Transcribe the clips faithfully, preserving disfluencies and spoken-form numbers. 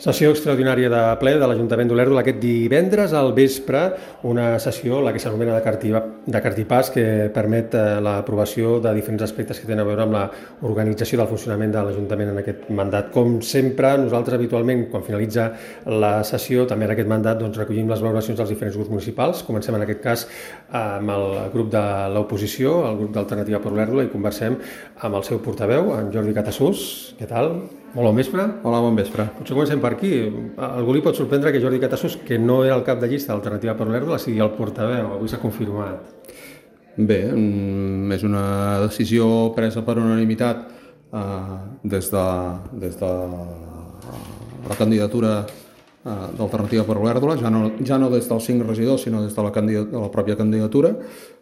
Sessió extraordinària de ple de l'Ajuntament d'Olèrdola aquest divendres al vespre, una sessió, la que s'anomena de, cartiva, de cartipàs, que permet l'aprovació de diferents aspectes que tenen a veure amb l'organització del funcionament de l'Ajuntament en aquest mandat. Com sempre, nosaltres habitualment, quan finalitza la sessió, també en aquest mandat, doncs, recollim les valoracions dels diferents grups municipals. Comencem en aquest cas amb el grup de l'oposició, el grup d'Alternativa per Olèrdola, i conversem amb el seu portaveu, en Jordi Catasús. Què tal? Molt bon vespre. Hola, bon vespre. Potser comencem per aquí. Algú li pot sorprendre que Jordi Catasús, que no era el cap de llista d'Alternativa per Olèrdola, sigui el portaveu. Avui s'ha confirmat. Bé, és una decisió presa per unanimitat eh, des de, des de la candidatura eh, d'Alternativa per Olèrdola, ja no, ja no des dels cinc regidors, sinó des de la, de la pròpia candidatura.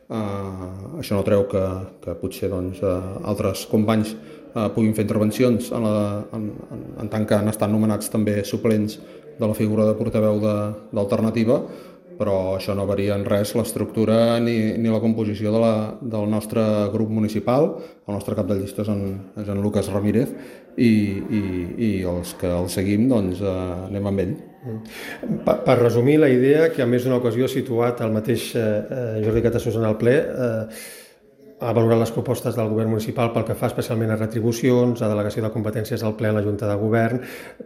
Eh, això no treu que, que potser doncs, eh, altres companys Uh, puguin fer intervencions en, la, en, en, en tant que han estat nomenats també suplents de la figura de portaveu d'Alternativa, però això no varia en res l'estructura ni, ni la composició de la, del nostre grup municipal. El nostre cap de llista és en, és en Lucas Ramírez i, i, i els que el seguim doncs, uh, anem amb ell. Per, per resumir la idea, que a més d'una ocasió ha situat el mateix eh, Jordi Catasús en el ple, eh, ha valorat les propostes del govern municipal pel que fa especialment a retribucions, a delegació de competències al ple a la Junta de Govern,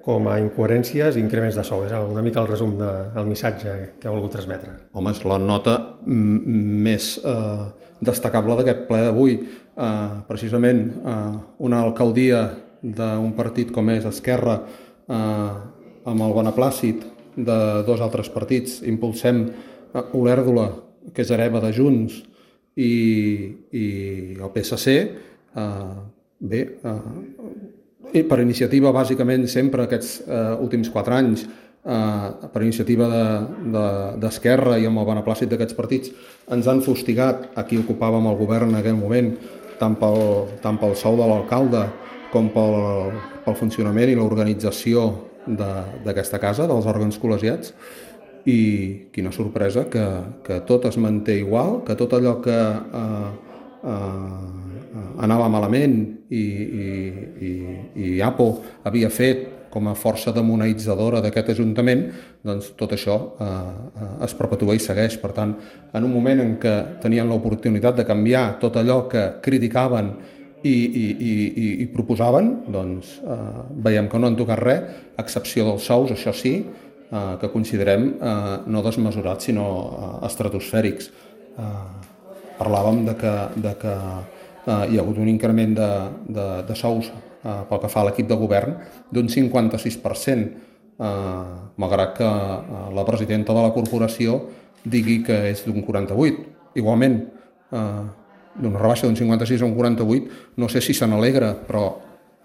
com a incoherències i increments de sou. És una mica el resum del missatge que ha volgut transmetre. Home, és la nota més eh, destacable d'aquest ple d'avui. Eh, precisament eh, una alcaldia d'un partit com és Esquerra, eh, amb el beneplàcit de dos altres partits, impulsem eh, Olèrdola, que és hereva de Junts, i, i el P S C, eh, bé, eh, per iniciativa bàsicament sempre aquests eh, últims quatre anys, eh, per iniciativa d'Esquerra de, de, i amb el beneplàcit d'aquests partits, ens han fustigat a qui ocupàvem el govern en aquell moment, tant pel, tant pel sou de l'alcalde com pel, pel funcionament i l'organització d'aquesta casa, dels òrgans col·legiats. I quina sorpresa que, que tot es manté igual, que tot allò que eh, eh, anava malament i, i, i, i APO havia fet com a força demonitzadora d'aquest Ajuntament, doncs tot això eh, es perpetua i segueix. Per tant, en un moment en què tenien l'oportunitat de canviar tot allò que criticaven i, i, i, i proposaven, doncs eh, veiem que no han tocat res, a excepció dels sous, això sí, Uh, que considerem uh, no desmesurats, sinó uh, estratosfèrics. Uh, parlàvem de que, de que uh, hi ha hagut un increment de, de, de sous uh, pel que fa a l'equip de govern d'un cinquanta-sis per cent, uh, malgrat que uh, la presidenta de la corporació digui que és d'un quaranta-vuit. Igualment, uh, d'una rebaixa d'un cinquanta-sis a un quaranta-vuit, no sé si se n'alegra, però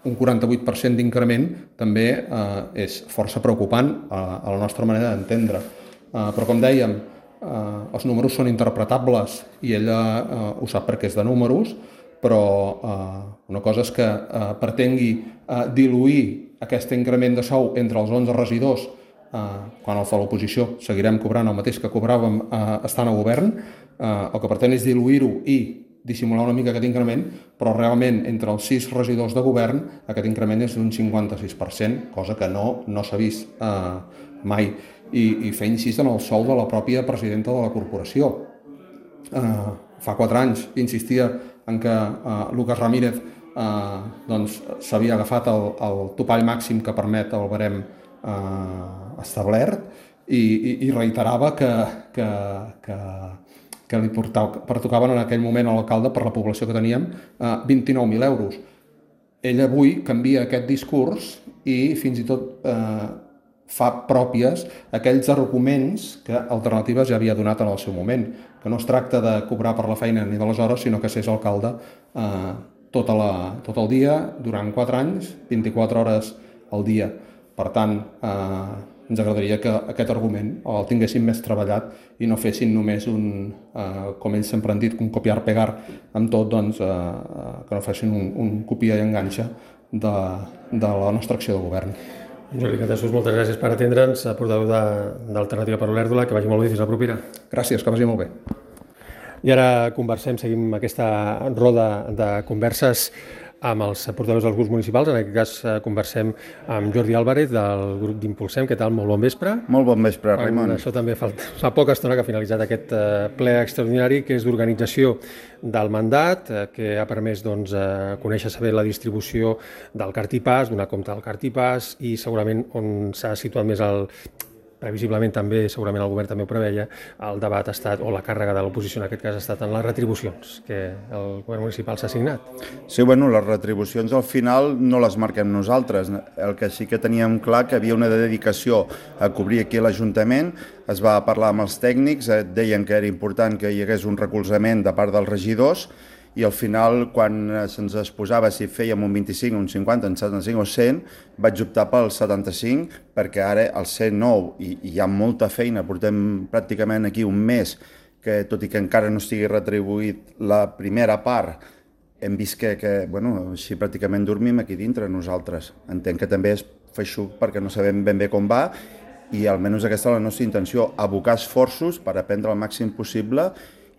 un quaranta-vuit per cent d'increment també eh, és força preocupant a, a la nostra manera d'entendre. Eh, però com dèiem, eh, els números són interpretables i ella eh, ho sap perquè és de números, però eh, una cosa és que eh, pretengui eh, diluir aquest increment de sou entre els onze regidors, eh, quan els de l'oposició seguirem cobrant el mateix que cobràvem eh, estant a govern. Eh, el que pretén és diluir-ho i dissimular una mica aquest increment, però realment entre els sis regidors de govern aquest increment és d'un cinquanta-sis per cent, cosa que no, no s'ha vist eh, mai. I, i fer incís en el sou de la pròpia presidenta de la corporació. Eh, fa quatre anys insistia en que eh, Lucas Ramírez eh, doncs, s'havia agafat el, el topall màxim que permet el barem eh, establert i, i, i reiterava que, que, que que li pertocaven en aquell moment a l'alcalde per la població que teníem eh, vint-i-nou mil euros. Ell avui canvia aquest discurs i fins i tot eh, fa pròpies aquells arguments que Alternatives ja havia donat en el seu moment, que no es tracta de cobrar per la feina ni de les hores, sinó que s'és alcalde eh, tota la, tot el dia, durant quatre anys, vint-i-quatre hores al dia. Per tant, eh, ens agradaria que aquest argument el tinguessin més treballat i no fessin només un, eh, com ells sempre han dit, un copiar-pegar amb tot, doncs, eh, que no fessin un, un copia i enganxa de, de la nostra acció de govern. Jordi Catasús, moltes gràcies per atendre'ns, portaveu d'Alternativa per Olèrdola, que vagi molt bé, fins la propera. Gràcies, que vagi molt bé. I ara conversem, seguim aquesta roda de converses amb els portaveus dels grups municipals. En aquest cas eh, conversem amb Jordi Álvarez del grup d'Impulsem. Què tal? Molt bon vespre. Molt bon vespre, Raimon. Això també fa, fa poca estona que ha finalitzat aquest eh, ple extraordinari que és d'organització del mandat, eh, que ha permès doncs, eh, conèixer saber la distribució del cartipàs, donar compte del cartipàs i segurament on s'ha situat més el... previsiblement també, segurament el govern també ho preveia, el debat ha estat, o la càrrega de l'oposició en aquest cas ha estat en les retribucions que el govern municipal s'ha assignat. Sí, bueno, les retribucions al final no les marquem nosaltres. El que sí que teníem clar que havia una dedicació a cobrir aquí a l'Ajuntament, es va parlar amb els tècnics, deien que era important que hi hagués un recolzament de part dels regidors, i al final, quan se'ns exposava si fèiem un vint-i-cinc, un cinquanta, un setanta-cinc o cent, vaig optar pel setanta-cinc, perquè ara el cent nou, i, i hi ha molta feina, portem pràcticament aquí un mes, que tot i que encara no estigui retribuït la primera part, hem vist que, que bueno, així pràcticament dormim aquí dintre nosaltres. Entenc que també és feixuc perquè no sabem ben bé com va, i almenys aquesta és la nostra intenció, abocar esforços per aprendre el màxim possible.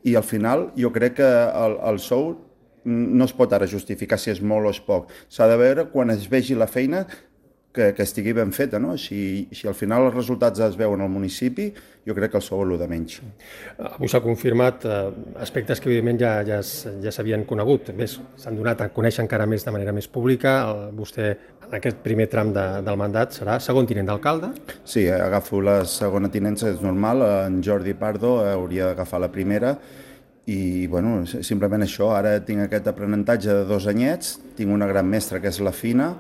I al final jo crec que el, el sou no es pot ara justificar si és molt o és poc. S'ha de veure quan es vegi la feina que, que estigui ben feta, no? Si, si al final els resultats es veuen al municipi, jo crec que el sou és el de menys. Avui s'ha confirmat eh, aspectes que evidentment ja, ja, ja s'havien conegut. S'han donat a conèixer encara més de manera més pública. El, vostè en aquest primer tram de, del mandat serà segon tinent d'alcalde? Sí, agafo la segona tinença, és normal. En Jordi Pardo hauria d'agafar la primera. I, bueno, simplement això. Ara tinc aquest aprenentatge de dos anyets, tinc una gran mestra que és la Fina.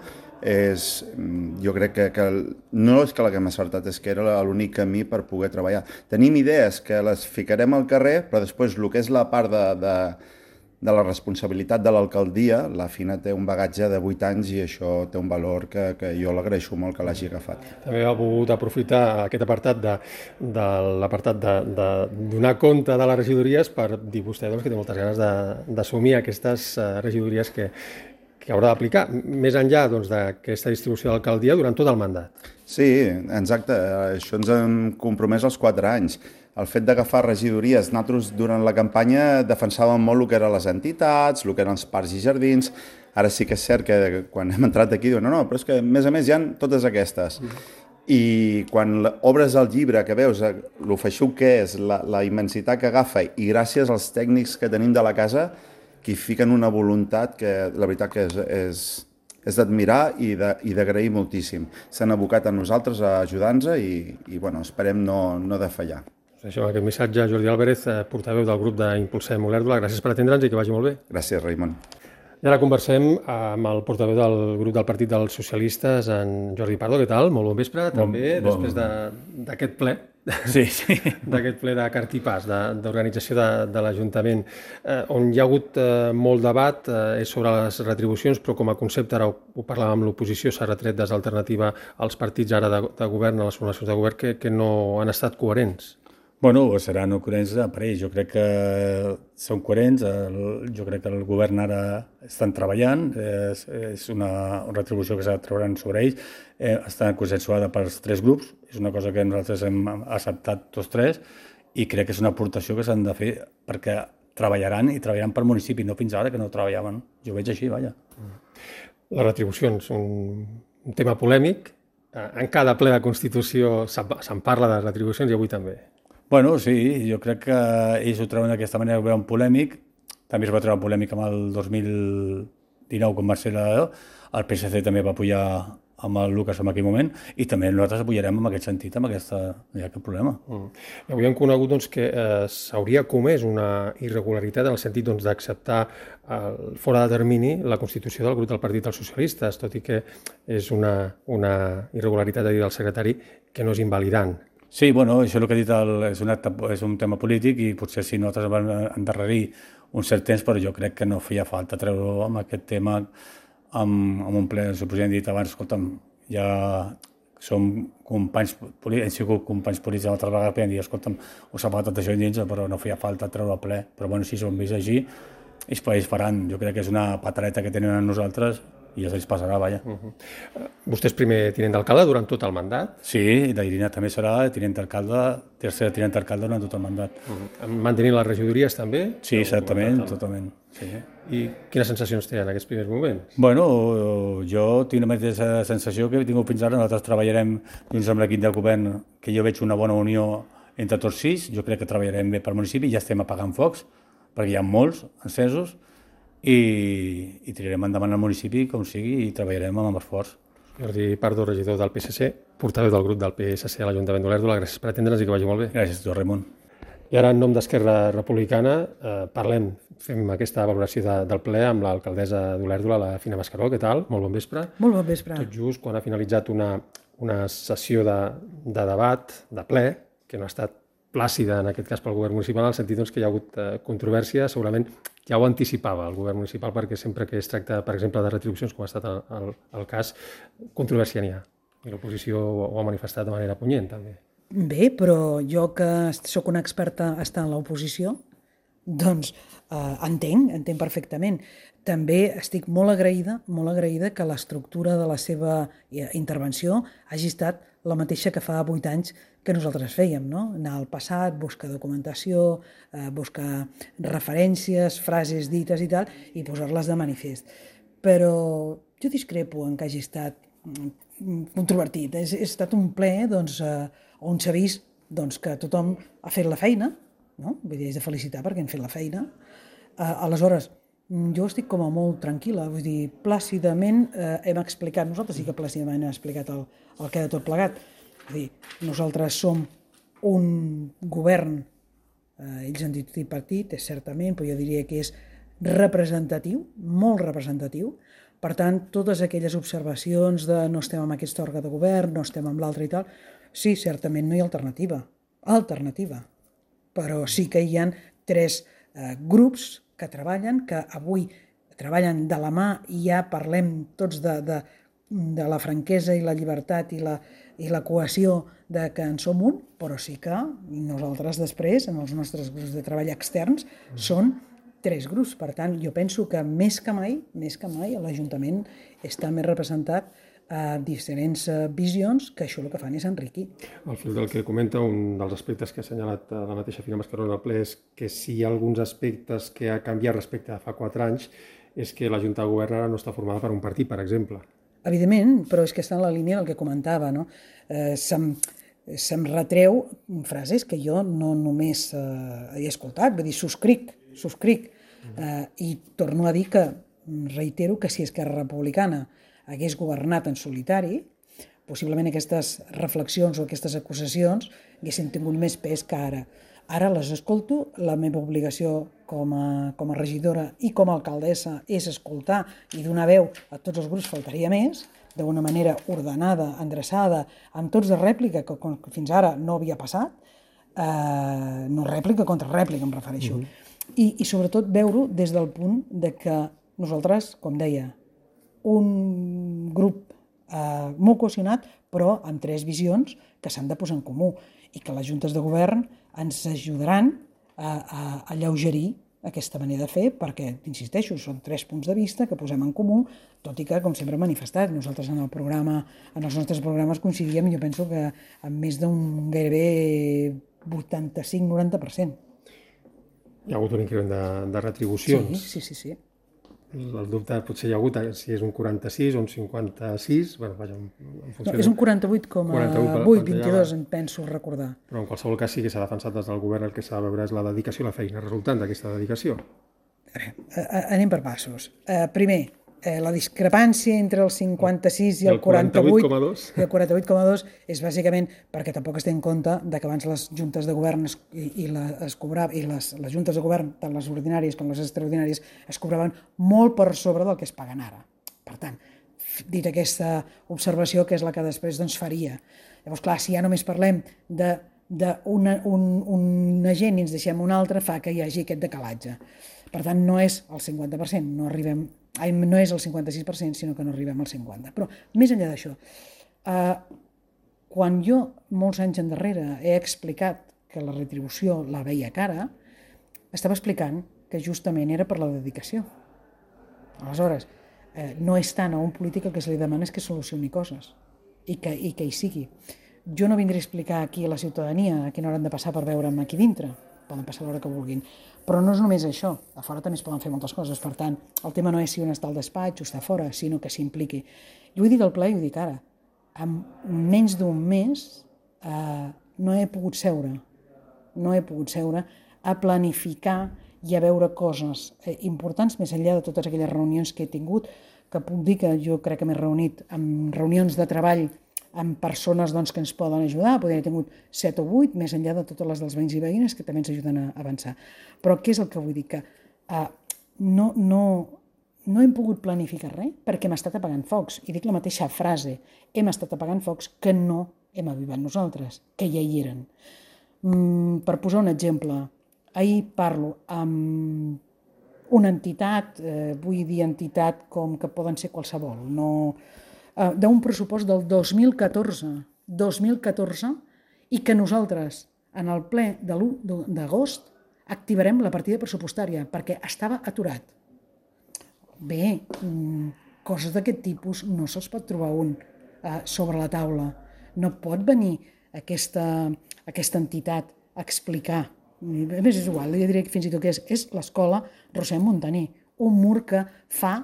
És, jo crec que, que no és que l'haguem acertat, és que era l'únic camí per poder treballar. Tenim idees que les ficarem al carrer, però després el que és la part de, de, de la responsabilitat de l'alcaldia, la Fina té un bagatge de vuit anys i això té un valor que, que jo l'agraeixo molt que l'hagi agafat. També ha volgut aprofitar aquest apartat de, de l'apartat de, de donar compte de les regidories per dir vostè doncs, que té moltes ganes d'assumir aquestes regidories que que haurà d'aplicar, més enllà doncs, d'aquesta distribució de l'alcaldia durant tot el mandat. Sí, exacte. Això ens hem compromès als quatre anys. El fet d'agafar regidories, nosaltres durant la campanya defensàvem molt el que eren les entitats, el que eren els parcs i jardins. Ara sí que és cert que quan hem entrat aquí diuen no, no, però és que a més a més hi ha totes aquestes. I quan obres el llibre que veus el feixuc que és, la, la immensitat que agafa i gràcies als tècnics que tenim de la casa que hi fiquen una voluntat que la veritat que és, és, és d'admirar i d'agrair moltíssim. S'han abocat a nosaltres a ajudar-nos i, i bueno, esperem no, no defallar. Això, aquest missatge, Jordi Álvarez, portaveu del grup d'Impulsem Olèrdola. Gràcies per atendre'ns i que vagi molt bé. Gràcies, Raimon. I ara conversem amb el portaveu del grup del Partit dels Socialistes, en Jordi Pardo. Què tal? Molt bon vespre, també, bon, després d'aquest de, ple. Sí, sí. D'aquest ple de cartipàs, d'organització de, de, de l'Ajuntament, eh, on hi ha hagut eh, molt debat eh, sobre les retribucions, però com a concepte, ara ho, ho parlàvem amb l'oposició, s'ha retret des d'alternativa als partits ara de, de govern, a les formacions de govern, que, que no han estat coherents. Bueno, seran coherents per ells. Jo crec que són coherents. El, jo crec que el govern ara estan treballant. És, és una retribució que s'ha de treure sobre ells. Eh, està consensuada pels tres grups. És una cosa que nosaltres hem acceptat tots tres i crec que és una aportació que s'han de fer perquè treballaran i treballaran per municipi, no fins ara que no treballaven. Jo ho veig així, vaja. Les retribucions, un, un tema polèmic. En cada ple de Constitució se'n parla de retribucions i avui també. Bueno, sí, jo crec que ells ho treuen d'aquesta manera, ho veuen polèmic. També es va treure polèmic amb el dos mil dinou, com va ser la... El P S C també va apoyar amb el Lucas en aquell moment i també nosaltres apoyarem en aquest sentit, amb aquesta... No hi ha cap problema. Mm. Avui hem conegut doncs, que eh, s'hauria comès una irregularitat en el sentit doncs, d'acceptar eh, fora de termini la constitució del grup del Partit dels Socialistes, tot i que és una, una irregularitat, a dir del secretari, que no és invalidant. Sí, bueno, això és el que ha dit, el, és, un acte, és un tema polític i potser si nosaltres vam endarrerir un cert temps, però jo crec que no feia falta treure-ho amb aquest tema amb, amb un ple. El president ha dit abans, escolta'm, ja som companys polítics, hem sigut companys polítics altres vegades, podem dir, escolta'm, us ha faltat això dins, però no feia falta treure el ple. Però bueno, si s'ho hem vist així, ells, ells faran. Jo crec que és una patareta que tenen a nosaltres i ja se'ls passarà, vaja. Uh -huh. Vostè és primer tinent d'alcalde durant tot el mandat? Sí, la Irina també serà tinent d'alcalde, tercer tinent d'alcalde durant tot el mandat. Uh -huh. Mantenint les regidories també? Sí, certament, totalment. Sí. I quines sensacions té en aquests primers moments? Bueno, jo tinc la mateixa sensació que he tingut fins ara. Nosaltres treballarem junts amb l'equip del govern, que jo veig una bona unió entre tots sis. Jo crec que treballarem bé pel municipi, ja estem apagant focs, perquè hi ha molts encesos, i, i tirarem endavant el municipi com sigui i treballarem amb esforç. Jordi Pardo, regidor del P S C, portaveu del grup del P S C a l'Ajuntament d'Olèrdola. Gràcies per atendre'ns i que vagi molt bé. Gràcies a tu, Ramon. I ara, en nom d'Esquerra Republicana, eh, parlem, fem aquesta valoració de, del ple amb l'alcaldessa d'Olèrdola, la Fina Mascaró. Què tal? Molt bon vespre. Molt bon vespre. Tot just quan ha finalitzat una, una sessió de, de debat, de ple, que no ha estat plàcida en aquest cas pel govern municipal, en el sentit doncs, que hi ha hagut eh, controvèrsia, segurament ja ho anticipava el govern municipal, perquè sempre que es tracta, per exemple, de retribucions, com ha estat el, el, el cas, controvèrsia n'hi ha. I l'oposició ho, ho ha manifestat de manera punyent, també. Bé, però jo que sóc una experta a estar en l'oposició, doncs eh, entenc, entenc perfectament. També estic molt agraïda, molt agraïda que l'estructura de la seva intervenció hagi estat la mateixa que fa vuit anys que nosaltres fèiem, no? Anar al passat, buscar documentació, eh, buscar referències, frases dites i tal, i posar-les de manifest. Però jo discrepo en que hagi estat controvertit. Ha estat un ple doncs, eh, on s'ha vist doncs, que tothom ha fet la feina, no? Vull dir, és de felicitar perquè hem fet la feina. Eh, aleshores, jo estic com a molt tranquil·la, vull dir, plàcidament eh, hem explicat, nosaltres sí que plàcidament hem explicat el, el que ha de tot plegat. Vull dir, nosaltres som un govern, eh, ells han dit tripartit, és certament, però jo diria que és representatiu, molt representatiu. Per tant, totes aquelles observacions de no estem amb aquest òrgan de govern, no estem amb l'altre i tal, sí, certament no hi ha alternativa, alternativa. Però sí que hi ha tres eh, grups que treballen, que avui treballen de la mà i ja parlem tots de, de, de la franquesa i la llibertat i la, i la cohesió de que en som un, però sí que nosaltres després, en els nostres grups de treball externs, són tres grups. Per tant, jo penso que més que mai, més que mai, l'Ajuntament està més representat a diferents visions, que això el que fan és enriquir. Al fil del que comenta, un dels aspectes que ha assenyalat la mateixa Fina Mascaró en el ple és que si hi ha alguns aspectes que ha canviat respecte a fa quatre anys és que la Junta de Govern ara no està formada per un partit, per exemple. Evidentment, però és que està en la línia del que comentava, no? Eh, se'm, se'm retreu frases que jo no només eh, he escoltat, vull dir, subscric, subscric, eh, i torno a dir que, reitero, que si Esquerra Republicana hagués governat en solitari, possiblement aquestes reflexions o aquestes acusacions haguessin tingut més pes que ara. Ara les escolto, la meva obligació com a, com a regidora i com a alcaldessa és escoltar i donar veu a tots els grups, faltaria més, d'una manera ordenada, endreçada, amb tots de rèplica, que fins ara no havia passat, eh, no rèplica contra rèplica, em refereixo. Mm-hmm. I, i sobretot veure-ho des del punt de que nosaltres, com deia, un grup eh, molt cohesionat, però amb tres visions que s'han de posar en comú i que les juntes de govern ens ajudaran a, a, a alleugerir aquesta manera de fer, perquè, insisteixo, són tres punts de vista que posem en comú, tot i que, com sempre hem manifestat, nosaltres en el programa, en els nostres programes coincidíem, jo penso que amb més d'un gairebé vuitanta-cinc noranta per cent. Hi ha hagut un increment de, de retribucions. Sí, sí, sí, sí. El dubte potser hi ha hagut si és un quaranta-sis o un cinquanta-sis, bueno, vaja, en funció no, és un quaranta-vuit coma vuit, vint-i-dos, en penso recordar. Però en qualsevol cas sí que s'ha defensat des del govern, el que s'ha de veure és la dedicació i la feina resultant d'aquesta dedicació. Anem per passos. Uh, primer, eh, la discrepància entre el cinquanta-sis i el quaranta-vuit i el quaranta-vuit coma dos és bàsicament perquè tampoc es té en compte de que abans les juntes de govern es, i, i, la, es cobrava, i les, les juntes de govern, tant les ordinàries com les extraordinàries, es cobraven molt per sobre del que es paguen ara. Per tant, dit aquesta observació, que és la que després doncs, faria. Llavors, clar, si ja només parlem de, de una, un, un agent i ens deixem un altre, fa que hi hagi aquest decalatge. Per tant, no és el cinquanta per cent, no arribem, no és el cinquanta-sis per cent, sinó que no arribem al cinquanta per cent. Però, més enllà d'això, eh, quan jo, molts anys endarrere, he explicat que la retribució la veia cara, estava explicant que justament era per la dedicació. Aleshores, eh, no és tant a un polític el que se li demana és que solucioni coses i que, i que hi sigui. Jo no vindré a explicar aquí a la ciutadania a quina hora han de passar per veure'm aquí dintre. poden passar l'hora que vulguin. Però no és només això, a fora també es poden fer moltes coses, per tant, el tema no és si un està al despatx o està fora, sinó que s'impliqui. Jo ho dic al ple i ho dic ara, en menys d'un mes eh, no he pogut seure, no he pogut seure a planificar i a veure coses eh, importants més enllà de totes aquelles reunions que he tingut, que puc dir que jo crec que m'he reunit en reunions de treball amb persones doncs, que ens poden ajudar, podria haver tingut set o vuit, més enllà de totes les dels veïns i veïnes que també ens ajuden a avançar. Però què és el que vull dir? Que uh, no, no, no hem pogut planificar res perquè hem estat apagant focs. I dic la mateixa frase, hem estat apagant focs que no hem avivat nosaltres, que ja hi eren. Mm, per posar un exemple, ahir parlo amb una entitat, eh, vull dir entitat com que poden ser qualsevol, no... d'un pressupost del dos mil catorze, dos mil catorze, i que nosaltres, en el ple de l'u d'agost, activarem la partida pressupostària, perquè estava aturat. Bé, coses d'aquest tipus no se'ls pot trobar un eh, sobre la taula. No pot venir aquesta, aquesta entitat a explicar. A més, és igual, jo diria que fins i tot que és, és l'escola Rossend Montaner, un mur que fa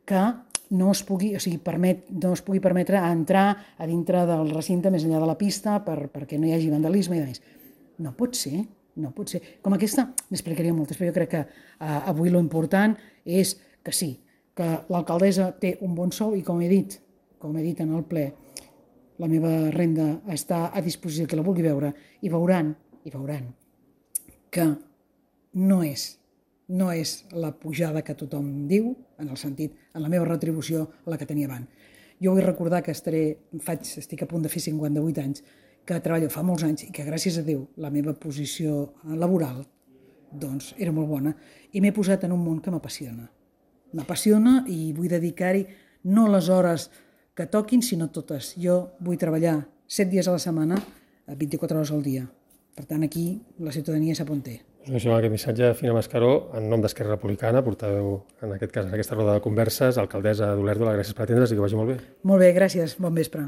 que no es pugui, o sigui, permet, no es pugui permetre entrar a dintre del recinte més enllà de la pista per, perquè no hi hagi vandalisme i més. No pot ser, no pot ser. Com aquesta, n'explicaria moltes, però jo crec que eh, avui lo important és que sí, que l'alcaldessa té un bon sou i com he dit, com he dit en el ple, la meva renda està a disposició que la vulgui veure i veuran, i veuran que no és no és la pujada que tothom diu, en el sentit, en la meva retribució, la que tenia abans. Jo vull recordar que estaré, faig, estic a punt de fer cinquanta-vuit anys, que treballo fa molts anys i que gràcies a Déu la meva posició laboral doncs, era molt bona i m'he posat en un món que m'apassiona. M'apassiona i vull dedicar-hi no les hores que toquin, sinó totes. Jo vull treballar set dies a la setmana, vint-i-quatre hores al dia. Per tant, aquí la ciutadania sap on té. Us deixem aquest missatge, Fina Mascaró, en nom d'Esquerra Republicana, portaveu en aquest cas en aquesta roda de converses, alcaldessa d'Olèrdola, gràcies per atendre's i que vagi molt bé. Molt bé, gràcies, bon vespre.